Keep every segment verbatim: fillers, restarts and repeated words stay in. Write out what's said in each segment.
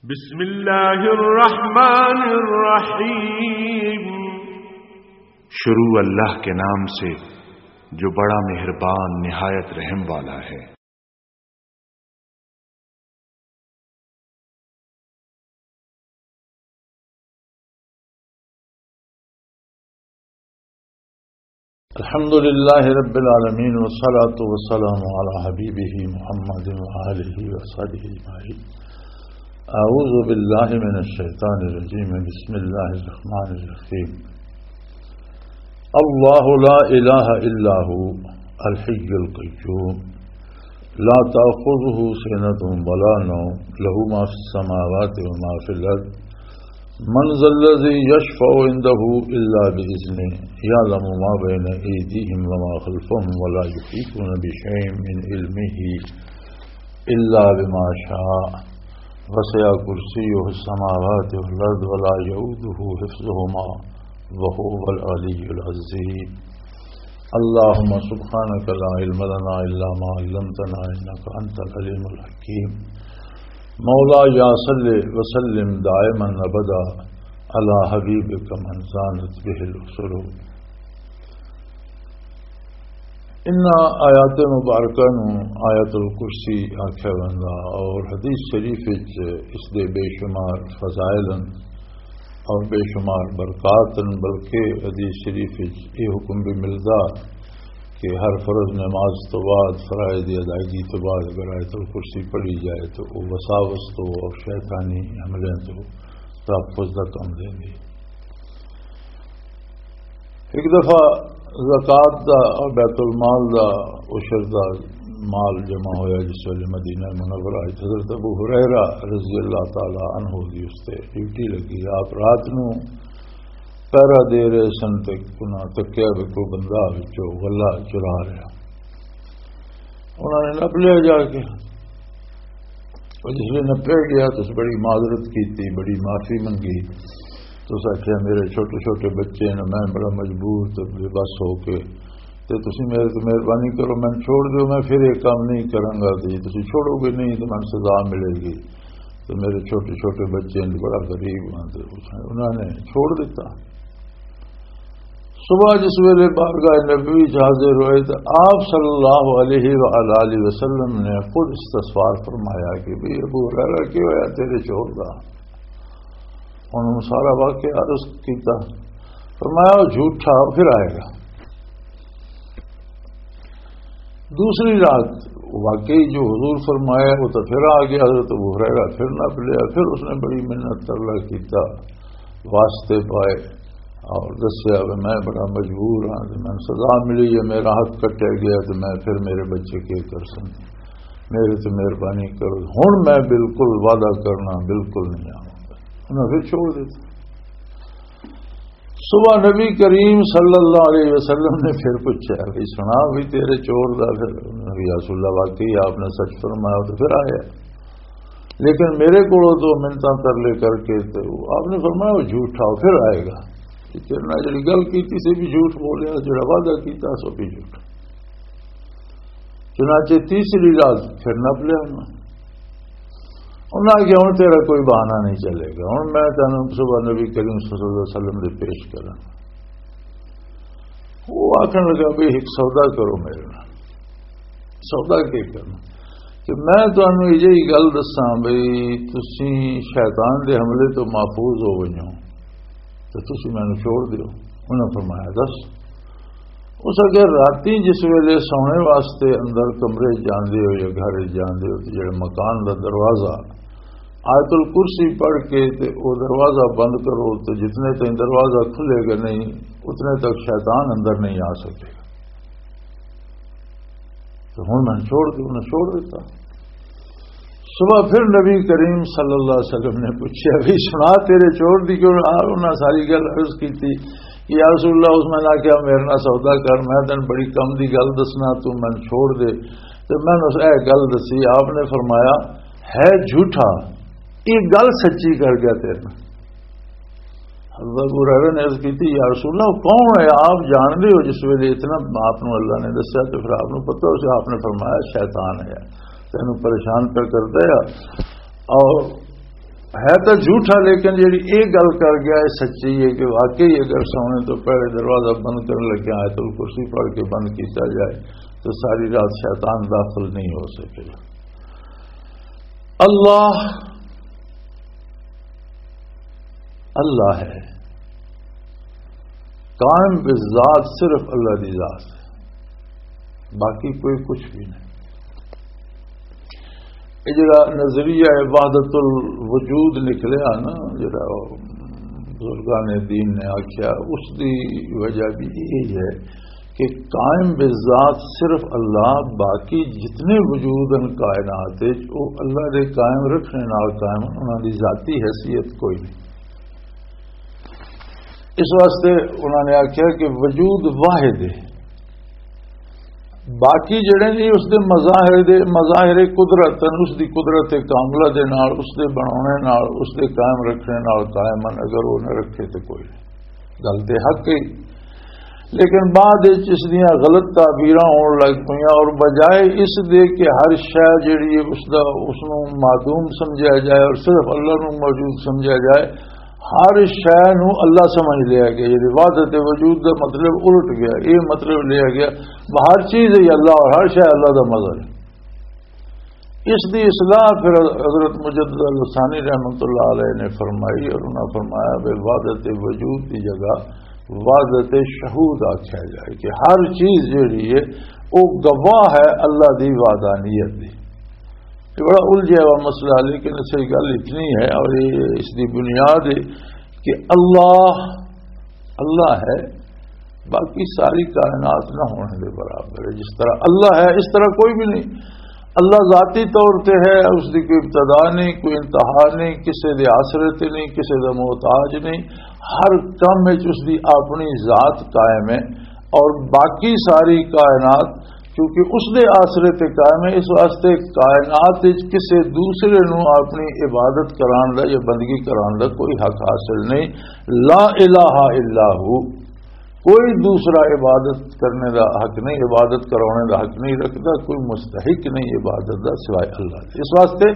بسم اللہ الرحمن الرحیم۔ شروع اللہ کے نام سے جو بڑا مہربان نہایت رحم والا ہے۔ الحمد لله رب العالمين، والصلاة والسلام على حبيبه محمد وآله وصحبه أجمعين. أعوذ بالله من الشيطان الرجيم. بسم الله الرحمن الرحيم. الله لا إله إلا هو الحي القيوم، لا تأخذه سنة ولا نوم، له ما في السماوات وما في الأرض، من ذا الذي يشفع عنده إلا بإذنه، يعلم ما بين أيديهم وما خلفهم، ولا يحيطون بشيء من علمه إلا بما شاء، وسع كرسيه السماوات والأرض، ولا يؤوده حفظهما، وهو العلي العظيم. اللهم سبحانك لا علم لنا إلا ما علمتنا إنك أنت العليم الحكيم. مولاي صل وسلم دائما أبدا على حبيبك من زانت به العصور. انہاں آیات مبارکہ نوں آیت الکرسی آکھیا ویندا، اور حدیث شریف وچ اس دے بے شمار فضائل ہن اور بے شمار برکات ہن، بلکہ حدیث شریف وچ یہ حکم بھی ملدا کہ ہر فرض نماز تو بعد، فرائض دی ادائیگی تو بعد اگر آیت الکرسی پڑھی جائے تو وہ وساوس تو اور شیطانی حملے تو تحفظ دا کم دیندی۔ ایک دفعہ زکوٰۃ دا اور بیت المال دا، عشر دا مال جمع ہویا، جس ویلے مدینہ منورہ وچ حضرت ابو ہریرہ رضی اللہ تعالی عنہ دی اس تے ڈیوٹی لگی۔ آپ رات نوں پہرا دے رہے سن تے انہاں تکیا بھی کوئی بندہ وچوں غلہ چرا رہا۔ انہاں نے نپ لیا جا کے۔ اور جس نے نپیا گیا تو اس بڑی معذرت کی، بڑی معافی منگی۔ تو اس آخیا، میرے چھوٹے چھوٹے بچے نے، میں بڑا مجبور تے بے بس ہو کے، تے تسی میرے تے مہربانی کرو، میں چھوڑ دیو، میں پھر یہ کام نہیں کراں گا۔ تے جے تسی چھوڑو گے نہیں تو میں سزا ملے گی۔ تو میرے چھوٹے چھوٹے بچے نے، بڑا غریب ہاں، تے انہاں نے چھوڑ دیتا۔ صبح جس ویلے بارگاہ نبوی چ حاضر ہوئے تو آپ صلی اللہ علیہ وآلہ وسلم نے خود استغفار فرمایا کہ بھئی ابو ہریرہ، کی ہویا تیرے چور دا؟ انہوں نے سارا واقعہ عرض کیتا۔ فرمایا، وہ جھوٹا پھر آئے گا۔ دوسری رات واقعی جو حضور فرمایا، وہ تو پھر آ گیا۔ حضرت ابو ہریرہ پھر نپ لیا، پھر اس نے بڑی منت ترلا کیتا، واسطے پائے اور دسیا کہ میں بڑا مجبور ہاں، تے مینوں سزا ملی ہے، میرا حق کٹیا گیا، تے میں پھر میرے بچے کی کر سن، میرے تے مہربانی کرو، ہن میں بالکل وعدہ کرنا، بالکل نہیں آواں گا۔ انہاں پھر چھوڑ دیتا۔ صبح نبی کریم صلی اللہ علیہ وسلم نے پھر پوچھا، "بھئی سنا بھی تیرے چور دا؟" پھر نبی رسول اللہ، واقعی آپ نے سچ فرمایا، تو پھر آیا۔ لیکن میرے کولوں تو منتاں ترلے کر کے تو آپ نے فرمایا، "وہ جھوٹا، وہ پھر آئے گا۔" کہ تیرے نال جڑی گل کیتی سی بھی جھوٹ بولیا، جڑا وعدہ کیتا سو بھی جھوٹ۔ چنانچہ تیسری رات پھر نپ لیا انہاں۔ انہاں آخیا، "ہن تیرا کوئی بہانہ نہیں چلے گا، ہن میں تینوں صبح نبی کریم صلی اللہ علیہ وسلم دے پیش کراں۔" وہ آخن لگا، "بھئی، ایک سودا کرو میرے نال۔" "سودا کی کرنا؟" "کہ میں تانوں یہ گل دساں، بھئی، تسی شیطان دے حملے تو محفوظ ہو گئے ہو، تو تسی مینوں چھوڑ دیو۔" انہاں فرمایا، "دس۔" اس اگے راتی جس ویلے سونے واسطے اندر کمرے جاندے ہو یا گھر جاندے ہو، تے جڑے مکان دا دروازہ آیت الکرسی پڑھ کے تے او دروازہ بند کرو، تے جتنے تائیں دروازہ کھلے گا نہیں، اتنے تک شیطان اندر نہیں آ سکے گا۔ تو ہن میں چھوڑ دوں، انہاں چھوڑ دیتا۔ صبح پھر نبی کریم صلی اللہ علیہ وسلم نے پوچھا، "بھی سنا تیرے چور دی کیوں؟" آ، انہاں ساری گل عرض کی تھی کہ یا رسول اللہ، اس میں نہ کیا، "میرے نال سودا کر، میں تینوں بڑی کم دی گل دسنا، تو میں چھوڑ دے۔" تے میں اس اے گل دسی، آپ نے فرمایا، "ہے جھوٹا، یہ گل سچی کر گیا تیرے نال۔" حضرت ابو ہریرہ نے عرض کی تھی، "یا رسول اللہ، کون ہے؟ آپ جانتے ہو، جس ویلے اتنا آپ نو اللہ نے دسیا تو پھر آپ نو پتہ ہو سی، آپ نے فرمایا، 'شیطان ہے، تینوں پریشان پہ کرتا ہے اور ہے تو جھوٹا، لیکن جڑی یہ گل کر گیا، یہ سچی ہے کہ واقعی اگر سونے تو پہلے دروازہ بند کرنے لگے آیت الکرسی پڑھ کے بند کیتا جائے تو ساری رات شیطان داخل نہیں ہو سکے۔ اللہ، اللہ ہے، قائم بالذات صرف اللہ دی ذات ہے، باقی کوئی کچھ بھی نہیں۔ یہ جڑا نظریہ وحدت الوجود نکلیا نا، جڑا بزرگان دین نے آکھیا، اس دی وجہ بھی یہی ہے کہ قائم بالذات صرف اللہ، باقی جتنے وجود ہیں کائنات وچ، وہ اللہ دے قائم رکھنے نال قائم ہیں، انہاں دی ذاتی حیثیت کوئی نہیں۔ اس واسطے انہاں نے آکھیا کہ وجود واحد ہے، باقی جڑے نہیں اس دے مظاہر دے، مظاہر قدرت ہیں، اس دی قدرت کاملہ دے نال، اس دے بناونے نال، اس دے قائم رکھنے نال قائم ہیں، اگر وہ نہ رکھے تو کوئی نہیں۔ گل تے حق ہے، لیکن بعد وچ اس دیاں غلط تعبیراں ہون لگ پئیاں، اور بجائے اس دے کہ ہر شے جڑی ہے اس دا، اس نوں معدوم سمجھا جائے اور صرف اللہ نوں موجود سمجھا جائے، ہر شے نوں اللہ سمجھ لیا گیا، یعنی وحدت وجود دا مطلب الٹ گیا، یہ مطلب لیا گیا ہر چیز ہی اللہ اور ہر شے اللہ دا مظہر ہے۔ اس دی اصلاح پھر حضرت مجدد الثانی رحمۃ اللہ علیہ نے فرمائی، اور انہاں فرمایا، بے وحدت وجود دی جگہ وحدت شہود آکھیا جائے کہ ہر چیز جڑی ہے، وہ گواہ ہے اللہ دی وحدانیت دی۔ یہ بڑا الجھیا ہوا مسئلہ ہے، لیکن اس کی گل اتنی ہے، اور یہ اس دی بنیاد ہے کہ اللہ، اللہ ہے، باقی ساری کائنات نہ ہونے دے برابر ہے۔ جس طرح اللہ ہے، اس طرح کوئی بھی نہیں۔ اللہ ذاتی طور تے ہے، اس دی کوئی ابتدا نہیں، کوئی انتہا نہیں، کسے دے آسرے تے نہیں، کسے دا محتاج نہیں۔ ہر کم وچ اس دی اپنی ذات قائم ہے، اور باقی ساری کائنات کیونکہ اس دے آسرے تے قائم ہے، اس واسطے کائنات وچ کسے دوسرے نوں اپنی عبادت کران دا یا بندگی کران دا کوئی حق حاصل نہیں۔ لا الہ الا ہو، کوئی دوسرا عبادت کرنے دا حق نہیں، عبادت کرانے دا حق نہیں رکھدا، کوئی مستحق نہیں عبادت دا سوائے اللہ دے۔ اس واسطے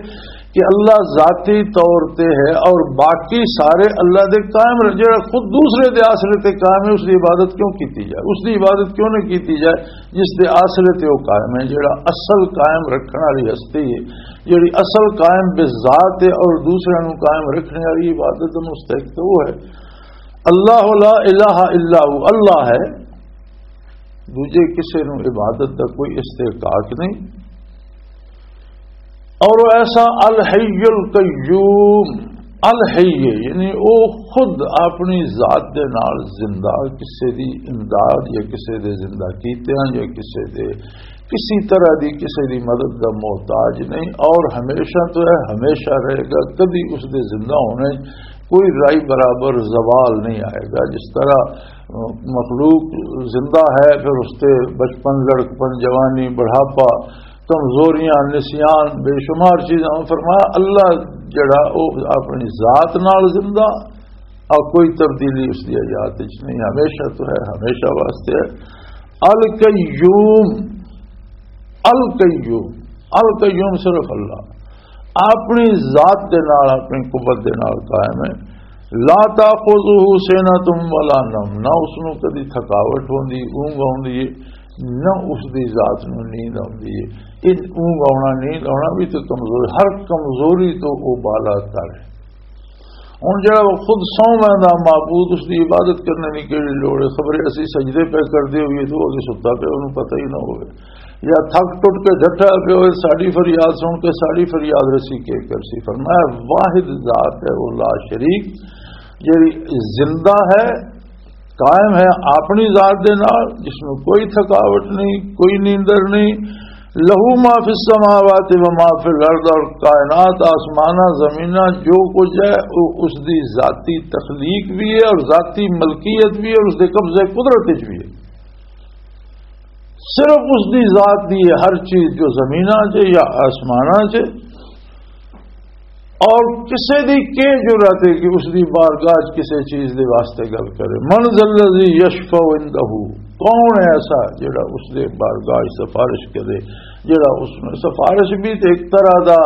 کہ اللہ ذاتی طور تے ہے اور باقی سارے اللہ دے قائم رہ-، جڑا خود دوسرے دے آسرے تے قائم ہے، اس دی عبادت کیوں کیتی جائے؟ اس دی عبادت کیوں نہ کیتی جائے جس دے آسرے تے وہ قائم ہے، جڑا اصل قائم رکھنے والی ہستی ہے، جڑی اصل قائم بذات ہے اور دوسرے نوں قائم رکھنے والی عبادت دا مستحق تو وہ ہے۔ اللہ لا الہ الا ہو، اللہ ہے، دوجے کسے نوں عبادت دا کوئی استحقاق نہیں۔ اور وہ ایسا الحی القیوم، الحی ہے، یعنی وہ خود اپنی ذات دے نال زندہ، کسے دی امداد یا کسے دے زندہ کیتیاں یا کسے دے کسی طرح دی کسے دی مدد دا محتاج نہیں، اور ہمیشہ تو ہے، ہمیشہ رہے گا، کبھی اس دے زندہ ہونے کوئی رائی برابر زوال نہیں آئے گا۔ جس طرح مخلوق زندہ ہے، پھر اس تے بچپن، لڑکپن، جوانی، بڑھاپا، کمزوریاں، نسیان، بے شمار چیزاں۔ فرمایا، اللہ جڑا، وہ اپنی ذات نال زندہ، اور کوئی تبدیلی اس دی حیات وچ نہیں، ہمیشہ تو ہے، ہمیشہ واسطے ہے۔ القیوم، القیوم، القیوم صرف اللہ اپنی ذات دے نال، اپنی قوت دے نال قائم ہے۔ لا تاخذہ سنۃ ولا نوم، نہ اس نوں کدی تھکاوٹ ہوندی، اونگ آوندی ہے، نہ اس دی ذات نوں نیند آوندی ہے۔ ان اونگ آونا، نیند آونا بھی تو کمزوری، ہر کمزوری تو وہ بالا تر ہے۔ ہن جڑا وہ خود سو ویندا معبود، اس دی عبادت کرنے دی کیڑی لوڑ ہے؟ خبرے اسی سجدے پہ کردے ہوئے تو وہ ستا پہ، انہوں پتہ ہی نہ ہوئے، یا تھک ٹٹ کے جھٹا پہ ہوئے، ساڈی فریاد سن کے ساڈی فریاد رسی کے کرسی؟ فرمایا، واحد ذات ہے وہ لا شریک، جڑی زندہ ہے، قائم ہے اپنی ذات دے نال، جس میں کوئی تھکاوٹ نہیں، کوئی نیندر نہیں۔ لہو ما فی السماوات و ما فی الارض، اور کائنات، آسماناں، زمیناں، جو کچھ ہے، وہ اس دی ذاتی تخلیق بھی ہے اور ذاتی ملکیت بھی ہے اور اس دے قبضے قدرت وچ بھی ہے۔ صرف اس دی ذات دی ہے ہر چیز، جو زمیناں چ یا آسماناں چ۔ اور کسے دی کی جرات ہے کہ اس دی بارگاہ چ کسے چیز دے واسطے گل کرے؟ من ذا الذی یشفع عندہ، کون ہے ایسا جڑا اس دے بارگاہ چ سفارش کرے؟ جڑا اس میں سفارش بھی تے ایک طرح دا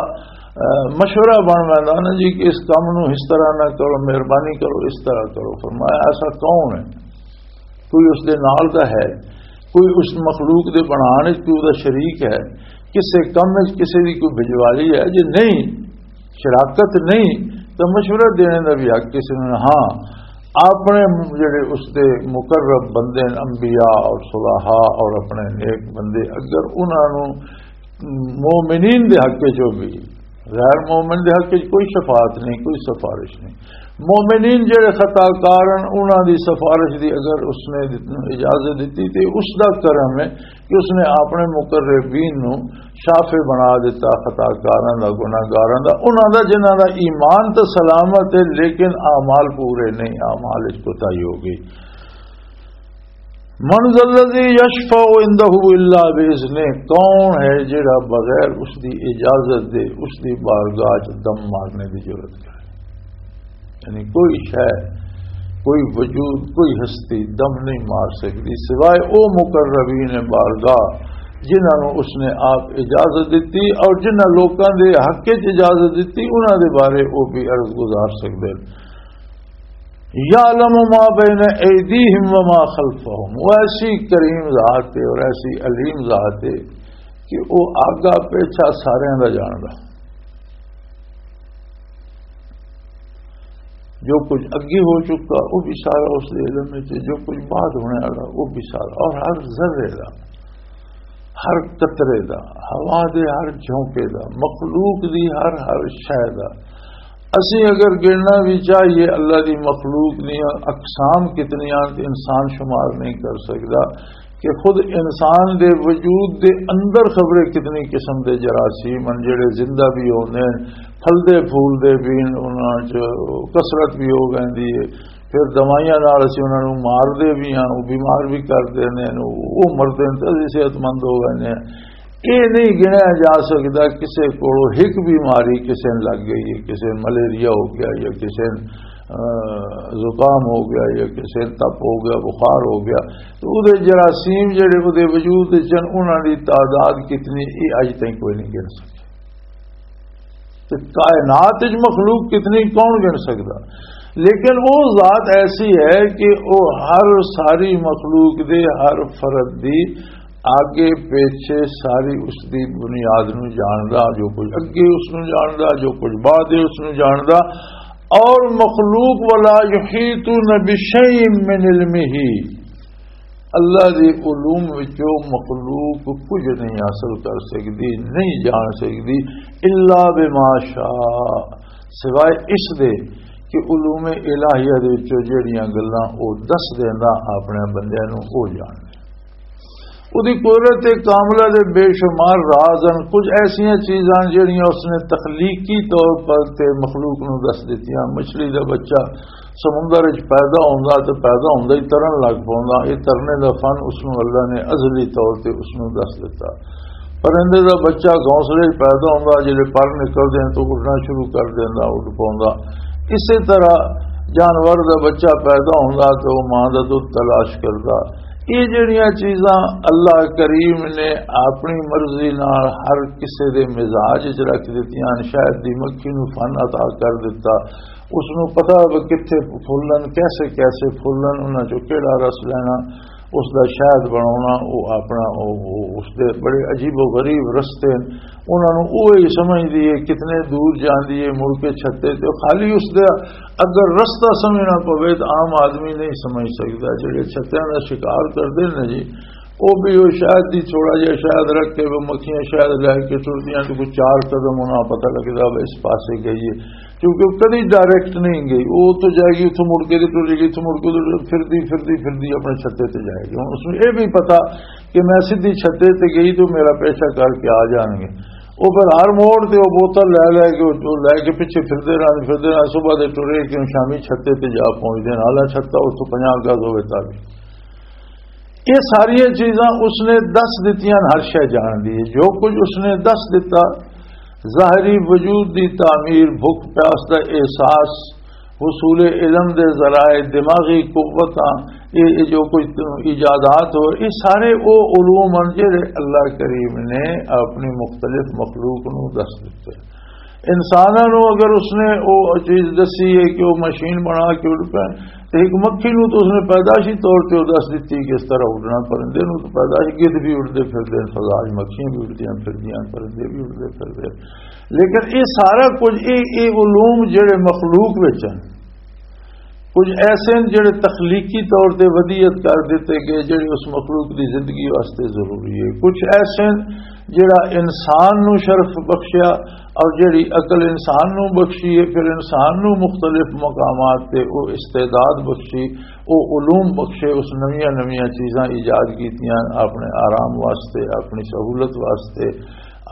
مشورہ بن ویندا نا جی کہ اس کام نو اس طرح نہ کرو، مہربانی کرو، اس طرح کرو۔ فرمایا، ایسا کون ہے؟ کوئی اس دے نال دا ہے؟ کوئی اس مخلوق دے بنان وچ کوئی دا شریک ہے؟ کسے کم وچ کسے دی کوئی بجوالی ہے؟ جے نہیں، شراکت نہیں، تو مشورہ دینے دا بھی حق کسے نوں نہیں۔ ہاں، اپنے جڑے اس دے مقرب بندے نے، انبیاء اور صلحاء اور اپنے نیک بندے، اگر انہاں نوں مومنین دے حق وچ بھی، غیر مومن دے حق وچ کوئی شفاعت نہیں، کوئی سفارش نہیں۔ مومنین جڑے خطا کار ہیں، انہاں دی سفارش دی اگر اس نے اجازت دتی تے اس دا کرم ہے کہ اس نے اپنے مقربین نو شافع بنا دیتا، خطا کاراں دا، گناہگاراں دا، انہاں دا جنہاں دا ایمان تے سلامت ہے لیکن اعمال پورے نہیں، اعمال وچ کوتاہی ہو گئی۔ من ذا الذی یشفع عنده الا باذنہ، کون ہے جڑا بغیر اس دی اجازت دے، اس دی بارگاہ چ دم مارنے دی جرات کرے؟ یعنی کوئی شے، کوئی وجود، کوئی ہستی دم نہیں مار سکتی سوائے او مقربین بارگاہ جنہاں نوں اس نے آپ اجازت دتی اور جنہاں لوکاں دے حق وچ اجازت دتی، انہاں دے بارے او بھی عرض گزار سکدے۔ یعلم ما بین ایدیہم وما خلفہم، وہ ایسی کریم ذات ہے اور ایسی علیم ذات ہے کہ وہ آگا پیچھا سارے دا جاندا۔ جو کچھ اگے ہو چکا، وہ بھی سارا اس دے علم وچ ہے، جو کچھ بعد ہونے والا، وہ بھی سارا، اور ہر ذرے دا، ہر قطرے دا، ہوا دے ہر جھونکے دا، مخلوق دی ہر، ہر شے دا۔ اسی اگر گننا بھی چاہیے، اللہ دی مخلوق دی اقسام کتنی آن تے انسان شمار نہیں کر سکدا کہ خود انسان دے وجود دے اندر خبرے کتنی قسم دے جراثیم ہیں، جڑے زندہ بھی ہوندے ہیں، پھلدے پھولدے بھی ہیں، انہاں چ کثرت بھی ہو ویندی ہے۔ پھر دوائیاں نال اسی انہاں نوں مار دے بھی ہاں، وہ بیمار بھی کر دیندے ہیں، وہ مردے ہیں تے اسی صحت مند ہو ویندے ہیں۔ یہ نہیں گنیا جا سکدا کسے کولوں ایک بیماری کسے نوں لگ گئی ہے، کسے نوں ملیریا ہو گیا یا کسے نوں، آ، زکام ہو گیا یا کسے نوں تپ ہو گیا، بخار ہو گیا، تو اودے جراثیم جڑے اودے وجود وچ ہن، انہاں دی تعداد کتنی، یہ اج تائیں کوئی نہیں گن سکیا۔ تے کائنات وچ مخلوق کتنی، کون گن سکدا؟ لیکن وہ ذات ایسی ہے کہ وہ ہر ساری مخلوق دے ہر فرد دی آگے پیچھے ساری اس دی بنیاد نو جاندا، جو کچھ اگے اس نو جاندا، جو کچھ بعد ہے اس نو جاندا۔ اور مخلوق، ولا یحیطون بشیء من علمہ، اللہ دے علوم وچوں مخلوق کچھ نہیں حاصل کر سکدی، نہیں جان سکدی، الا بما شاء، سوائے اس دے کہ علوم الہیہ دے وچوں جڑیاں گلاں او دس دیندا اپنے بندیاں نوں، او جان۔ اودی قدرت کاملہ دے بے شمار راز ہن۔ کچھ ایسیاں چیزاں جڑیاں اس نے تخلیقی طور پر تے مخلوق نوں دس دتیاں۔ مچھلی دا بچہ سمندر وچ پیدا ہوندا تے پیدا ہوندا ہی ترن لگ پوندا۔ یہ ترنے دا فن اس نوں اللہ نے ازلی طور تے اس نوں دس دتا۔ پرندے دا بچہ گھونسلے وچ پیدا ہوندا، جڑے پر نکلدے ہیں تو اڑنا شروع کر دیندا، اڑ پوندا۔ اسی طرح جانور دا بچہ پیدا ہوندا تے وہ ماں دا دودھ تلاش کردا۔ یہ جڑیاں چیزاں اللہ کریم نے اپنی مرضی نال ہر کسے دے مزاج وچ رکھ دتیاں، شاید دی مکھی نوں فن عطا کر دتا، اس نوں پتہ ہوے کتھے پھولن، کیسے کیسے پھولن، انہاں چوں کیڑا رس لینا، اس دا شہد بناونا، او اپنا، او، او، اس دے بڑے عجیب و غریب رستے ہیں۔ انہاں نوں اوہی سمجھدی ہے، کتنے دور جاندی ہے، مڑ کے چھتے تے خالی اس دا اگر رستہ سمجھنا پوے تو عام آدمی نہیں سمجھ سکدا۔ جڑے چھتیاں دا شکار کردے نے جی، او بھی او شاید دی تھوڑا جہا شاید رکھ کے، وہ مکھیاں شاید لے کے ٹردیاں تو کوئی چار قدم انہاں پتہ لگدا وہ اس پاسے گئی ہے، کیونکہ وہ کدی ڈائریکٹ نہیں گئی۔ وہ تو جائے گی، اتوں مڑ کے تے ٹرے گی، اتوں مڑ کے تے ٹرے، پھردی پھردی پھردی اپنے چھتے تے جائے گی۔ ہن اس نوں یہ بھی پتہ کہ میں سیدھی چھتے تے گئی تو میرا پیچھا کر کے آ جان گے۔ وہ پھر ہر موڑ تے وہ بوتل لے لے کے، وہ لے کے پیچھے پھردے رہن، پھردے رہن، صبح دے ٹرے کہ شامی چھتے تے جا پہنچدے ہیں، حالانکہ چھتا اس تو پنجاہ گز ہوئے تک۔ یہ ساری چیزاں اس نے دس دتیاں، ہر شے جان دی ہے۔ جو کچھ اس نے دس دتا، ظاہری وجود دی تعمیر، بھوک پیاس دا احساس، حصول علم دے ذرائع، دماغی قوتاں، یہ، یہ جو کچھ ایجادات ہو، یہ سارے وہ علوم ہیں جڑے اللہ کریم نے اپنی مختلف مخلوق نو دس دتے۔ انساناں نوں اگر اس نے او چیز دسی ہے کہ وہ مشین بنا کے اڑ پے، تے ایک مکھی نوں تو اس نے پیدائشی طور تے او دس دتی کہ اس طرح اڑنا، پرندے نوں تو پیدائشی، گدھ بھی اڑدے پھردے نے فضا وچ، مکھیاں بھی اڑدیاں پھردیاں، پرندے بھی اڑدے پھردے۔ لیکن یہ سارا کچھ، یہ یہ علوم جڑے مخلوق وچ ہیں، کچھ ایسے ہیں جڑے تخلیقی طور تے ودیت کر دیتے گئے، جڑے اس مخلوق دی زندگی واسطے ضروری ہے۔ کچھ ایسے ہیں جڑا انسان نو شرف بخشیا، اور جڑی عقل انسان نو بخشی ہے، پھر انسان نو مختلف مقامات تے او استعداد بخشی، او علوم بخشے، اس نویاں نویاں چیزاں ایجاد کیتیاں اپنے آرام واسطے، اپنی سہولت واسطے،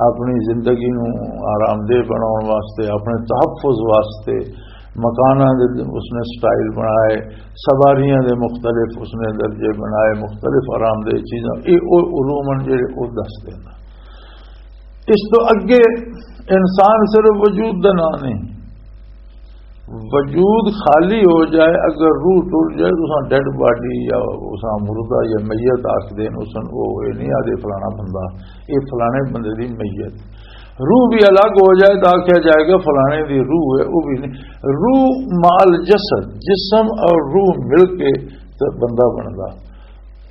اپنی زندگی نو آرام دہ بناؤن واسطے، اپنے تحفظ واسطے، مکاناں دے اس نے سٹائل بنائے، سواریاں دے مختلف اس نے درجے بنائے، مختلف آرام دہ چیزاں، اے او علوم ہیں جڑے او دس دینا۔ اس تو اگے انسان صرف وجود دا نام نہیں، وجود خالی ہو جائے، اگر روح ٹر جائے تو اساں ڈیڈ باڈی یا اساں مردہ یا میت آکھ دین، اساں او اے نہیں آدھے فلانا بندہ، اے فلانے بندے دی میت۔ روح بھی الگ ہو جائے تو آکھیا جائے گا فلانے دی روح ہے، وہ بھی نہیں۔ روح مال جسد، جسم اور روح مل کے تے بندہ بندا۔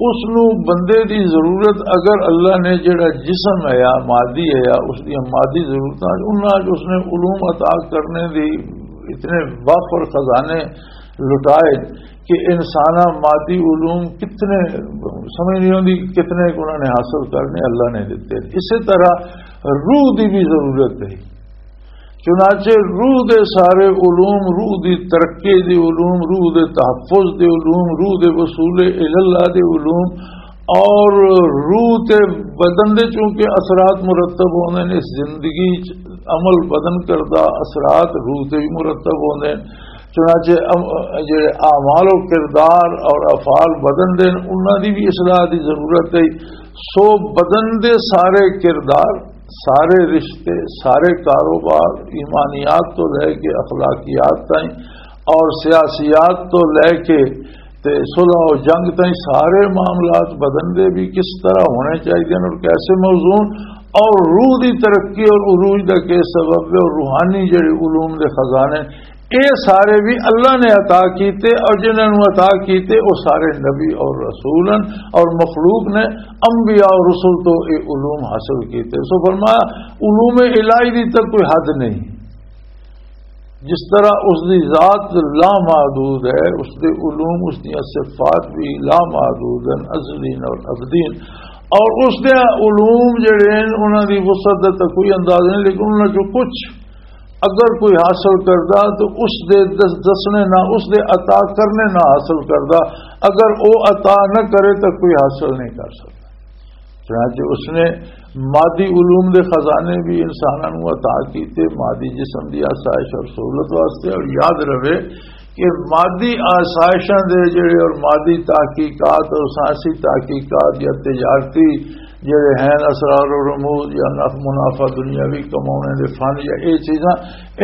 اس نو بندے دی ضرورت، اگر اللہ نے جڑا جسم ہے یا مادی ہے یا اس دی مادی ضرورتاں، انہاں وچ اس نے علوم عطا کرنے دی اتنے وافر خزانے لٹائے کہ انساناں مادی علوم کتنے، سمجھ نہیں ہوندی کتنے انہاں نے حاصل کرنے، اللہ نے دیتے۔ اسی طرح روح دی بھی ضرورت ہے۔ چنانچہ روح دے سارے علوم، روح دی ترقی دی علوم، روح دے تحفظ دے علوم، روح دے وصول الاللہ دے علوم، اور روح تے بدن دے چونکہ اثرات مرتب ہوندے نے، اس زندگی چ عمل بدن کردا، اثرات روح تے بھی مرتب ہوندے نے۔ چنانچہ ام-، جڑے اعمال و کردار اور افعال بدن دے نے، انہاں دی بھی اصلاح دی ضرورت ہے۔ سو بدن دے سارے کردار، سارے رشتے، سارے کاروبار، ایمانیات تو لے کے اخلاقیات تائیں اور سیاسیات تو لے کے تے صلح و جنگ تائیں سارے معاملات بدن دے بھی کس طرح ہونے چاہیے اور کیسے موزون، اور روح دی ترقی اور عروج دا کے سبب ہے اور روحانی جڑے علوم دے خزانے، اے سارے بھی اللہ نے عطا کیتے، اور جنہاں نوں عطا کیتے، وہ سارے نبی اور رسول ہیں، اور مخلوق نے، انبیاء اور رسول تو اے علوم حاصل کیتے۔ سو فرمایا، علوم الہی دی تک کوئی حد نہیں۔ جس طرح اس دی ذات لامحدود ہے، اس دے علوم، اس دیاں صفات بھی لامحدود ہیں، ازلین اور ابدین۔ اور اس دے علوم جڑے ہیں، انہاں دی وسعت دا تاں کوئی اندازہ نہیں، لیکن انہاں چوں کچھ اگر کوئی حاصل کردا تو اس دے دس-، دسنے نہ، اس دے عطا کرنے نہ حاصل کردا، اگر او عطا نہ کرے تو کوئی حاصل نہیں کر سکدا۔ چنانچہ اس نے مادی علوم دے خزانے بھی انساناں نوں عطا کیتے، مادی جسم دی آسائش اور سہولت واسطے۔ اور یاد رہے کہ مادی آسائشاں دے جڑے اور مادی تحقیقات اور سائنسی تحقیقات یا تجارتی جڑے ہیں اسرار و رموز یا نف-، منافع دنیاوی کمانے دے فن یا اے چیزاں،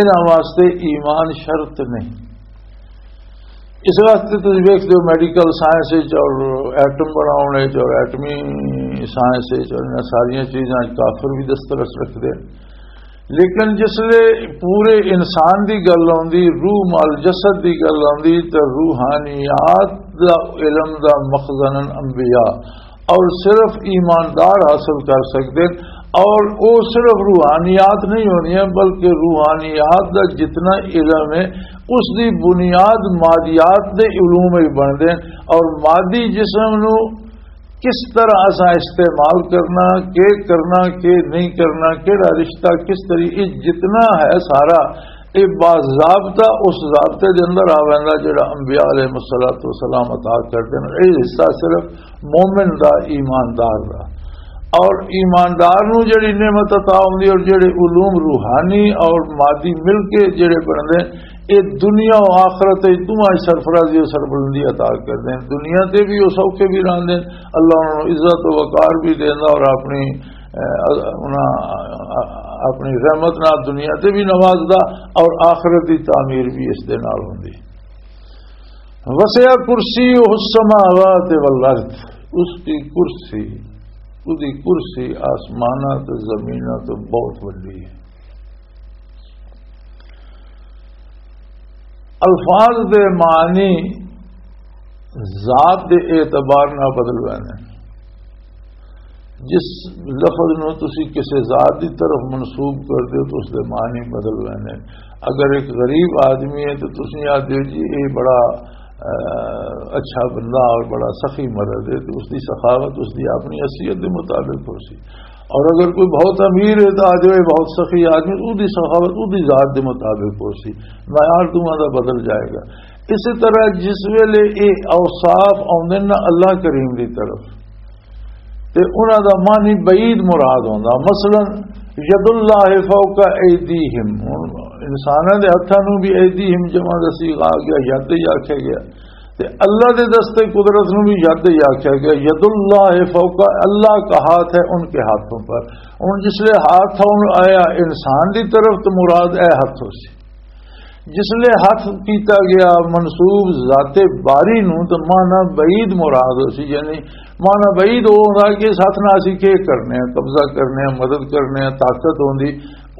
انہاں واسطے ایمان شرط نہیں۔ اس واسطے تسی ویکھدے ہو میڈیکل سائنس وچ اور ایٹم بناؤن وچ اور ایٹمی سائنس وچ اور انہاں ساریاں چیزاں وچ کافر بھی دسترس رکھدے۔ لیکن جس لے پورے انسان دی گل آندی، روح مال جسد دی گل آندی، تے روحانیات دا علم دا مخزن انبیاء اور صرف ایماندار حاصل کر سکدے۔ اور او صرف روحانیات نہیں ہونی ہے، بلکہ روحانیات دا جتنا علم ہے، اس دی بنیاد مادیات دے علوم ہی بندے۔ اور مادی جسم نو کس طرح اساں استعمال کرنا، کے کرنا، کے نہیں کرنا، کیڑا رشتہ کس طریقے، جتنا ہے سارا، یہ باضابطہ اس ضابطے دے اندر آ ویندا جڑا انبیاء علیہ الصلوۃ والسلام عطا کردے نے۔ یہ حصہ صرف مومن دا، ایماندار دا۔ اور ایماندار نو جڑی نعمت عطا ہوندی اور جڑے علوم روحانی اور مادی مل کے جڑے بندے، اے دنیا و آخرت وچ دوواں وچ سرفرازی و سربلندی عطا کردے ہیں۔ دنیا تے بھی او سوکھے بھی رہندے ہیں، اللہ انہاں نوں عزت و وقار بھی دیندا اور اپنی، اے، انہاں، اپنی رحمت نال دنیا تے بھی نوازدا اور آخرت دی تعمیر بھی اس دے نال ہوندی۔ وسع کرسیہ السماوات والارض، اس کی کرسی، اس دی کرسی آسماناں تے زمیناں تے بہت وڈی ہے۔ الفاظ دے معنی ذات دے اعتبار نال بدل ویندے۔ جس لفظ نو تسی کسے ذات دی طرف منسوب کر دیو تو اس دے معنی بدل ویندے۔ اگر ایک غریب آدمی ہے تو تسی آ دیو جی یہ بڑا، آ، اچھا بندہ اور بڑا سخی مرد ہے، تو اس دی سخاوت اس دی اپنی حیثیت دے مطابق ہو سی۔ اور اگر کوئی بہت امیر ہے تو آ جائے بہت سخی آدمی، او دی سخاوت او دی ذات دے مطابق ہو سی، معیار دوواں دا بدل جائے گا۔ اسی طرح جس ویلے اے اوصاف آوندے نا اللہ کریم دی طرف، تے انہاں دا معنی بعید مراد ہوندا۔ مثلاً ید اللہ فوق ایدیہم، ہن انساناں دے ہتھاں نوں بھی ایدیہم جمع دا صیغہ آ گیا، ید ہی آکھیا گیا۔ تے اللہ دے دستے قدرت نوں بھی ید ہی آکھیا گیا، ید اللہ فوق، اللہ کا ہاتھ ہے ان کے ہاتھوں پر۔ ہن جس لے ہاتھ ہون آیا انسان دی طرف تو مراد اے ہاتھ ہو سی۔ جس لے ہاتھ کیتا گیا منسوب ذات باری نوں تو معنی بعید مراد ہو سی، یعنی معنی بعید ہو ہوندا کہ اس ہاتھ نال اسی کی کرنے ہیں، قبضہ کرنے ہیں، مدد کرنے ہیں، طاقت ہوندی۔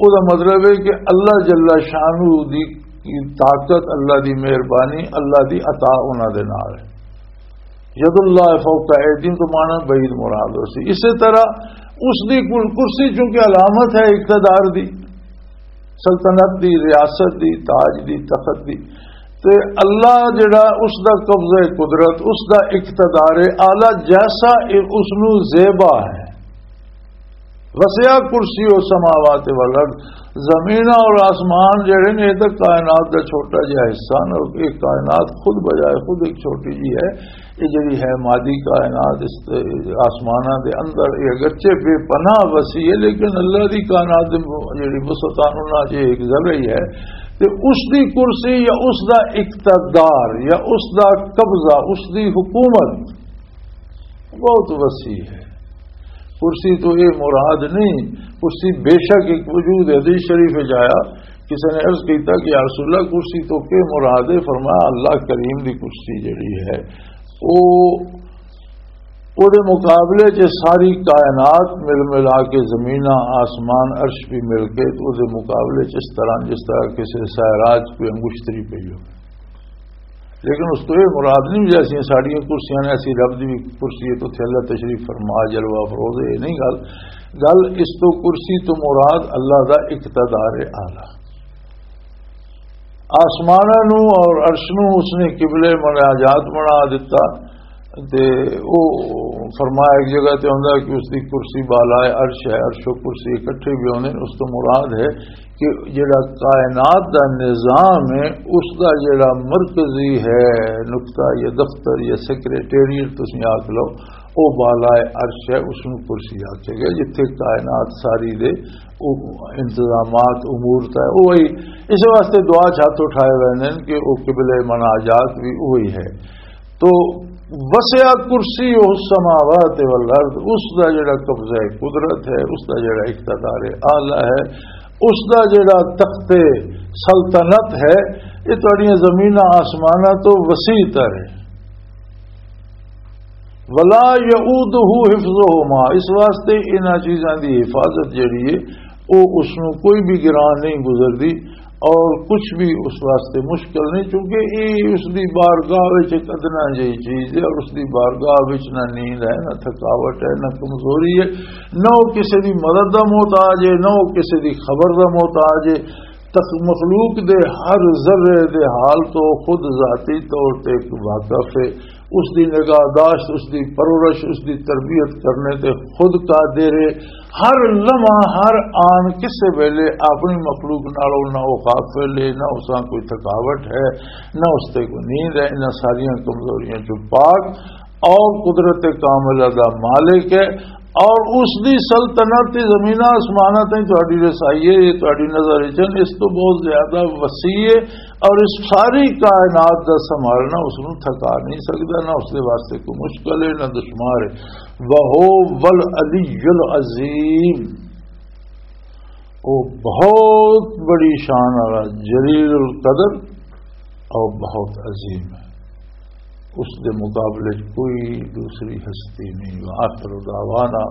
او دا مطلب ہے کہ اللہ جل شانہ دی طاقت، اللہ دی مہربانی، اللہ دی عطا انہاں دے نال ہے۔ ید اللہ فوق ایدیہم تو معنی بعید مراد ہو سی۔ اسی طرح اس دی کل-، کرسی چونکہ علامت ہے اقتدار دی، سلطنت دی، ریاست دی، تاج دی، تخت دی، تے اللہ جڑا اس دا قبضہ قدرت، اس دا اقتدار اعلیٰ جیسا اے اس نو زیبا ہے۔ وسع کرسی السماوات والارض، زمین اور آسمان جڑے نے، یہ تو کائنات کا چھوٹا جہا حصہ نے، اور یہ کائنات خود بجائے خود ایک چھوٹی جی ہے۔ یہ جڑی ہے مادی کائنات، اس تے آسماناں دے اندر، یہ اگرچہ بے پناہ وسیع ہے، لیکن اللہ دی کائنات دے جڑی وسعتاں انہاں چ ایک ذرہ ہی ہے۔ تے اس دی کرسی یا اس دا اقتدار یا اس دا قبضہ، اس دی حکومت بہت وسیع ہے۔ کرسی تو یہ مراد نہیں، کرسی بے شک ایک وجود ہے۔ حدیث شریف وچ آیا، کسی نے عرض کیتا کہ یا رسول اللہ، کرسی تو کے مراد ہے؟ فرمایا، اللہ کریم دی کرسی جڑی ہے، او، او دے مقابلے چ ساری کائنات مل ملا کے، زمیناں، آسمان، عرش بھی مل کے، تو او دے مقابلے چ اس طرح، جس طرح کسی سیراج کوئی انگشتری پئی ہو۔ لیکن اس تو یہ مراد نہیں، جیسے ساڈیاں کرسیاں نے، اسی رب دی بھی کرسی ہے، تو اتھے اللہ تشریف فرما، جلوہ افروز ہے، یہ نہیں گل۔ گل اس تو، کرسی تو مراد اللہ دا اقتدار اعلیٰ۔ آسماناں نو اور عرش نو اس نے قبلے مناجات بنا دیتا۔ تے او فرمایا ایک جگہ تے ہوندا کہ اس دی کرسی بالائے عرش ہے، عرش و کرسی اکٹھے بھی ہوندے نے۔ اس تو مراد ہے کہ جڑا کائنات دا نظام ہے، اس دا جڑا مرکزی ہے نقطہ یا دفتر یا سیکرٹریٹ تسیں آکھ لو، او بالائے عرش ہے، اس نوں کرسی آکھیا گیا، جتھے کائنات ساری دے او انتظامات، امور طے، وہی اس واسطے دعا چ ہاتھ اٹھائے ویندے نے کہ او قبلہ مناجات بھی وہی ہے۔ تو وسع کرسی السماوات والارض، اس دا جڑا قبضہ قدرت ہے، اس دا جڑا اقتدار اعلیٰ ہے، اس دا جڑا تخت سلطنت ہے، یہ تہاڈیاں زمیناں آسماناں تو وسیع تر ہے۔ ولا یؤودہ حفظہما، اس واسطے انہاں چیزاں دی حفاظت جڑی ہے، او اس نوں کوئی بھی گران نہیں گزردی اور کچھ بھی اس واسطے مشکل نہیں، کیونکہ یہ اس دی بارگاہ وچ ایک ادنا جہی چیز ہے اور اس دی بارگاہ وچ نہ نیند ہے، نہ تھکاوٹ ہے، نہ کمزوری ہے، نہ وہ کسی دی مدد دا محتاج ہے، نہ وہ کسی دی خبر دا محتاج ہے۔ تخ-، مخلوق دے ہر ذرے دے حال تو خود ذاتی طور تے واقف ہے۔ اس دی نگاہ داشت، اس دی پرورش، اس دی تربیت کرنے تے خود قادر ہے۔ ہر لمحہ، ہر آن، کسے ویلے اپنی مخلوق نالوں نہ وہ غافل ہے، نہ اس کوئی تھکاوٹ ہے، نہ اس تے کوئی نیند ہے۔ انہاں ساریاں کمزوریاں چوں پاک اور قدرت کاملہ دا مالک ہے، اور اس دی سلطنت تے زمین آسماناں تائیں تہاڈی رسائی ہے، یہ تہاڈی نظر وچ ہن، اس تو بہت زیادہ وسیع ہے، اور اس ساری کائنات دا سنبھالنا اس نوں تھکا نہیں سکدا، نہ اس دے واسطے کوئی مشکل ہے، نہ دشمار ہے۔ وہو العلی العظیم، وہ بہت بڑی شان والا، جلیل القدر اور بہت عظیم ہے، اس دے مقابلے چ کوئی دوسری ہستی نہیں۔ وآخر دعوانا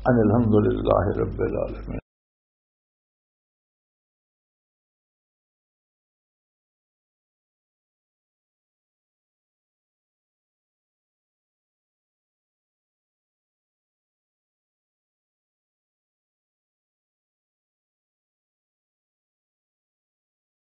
ان الحمد للہ رب العالمین۔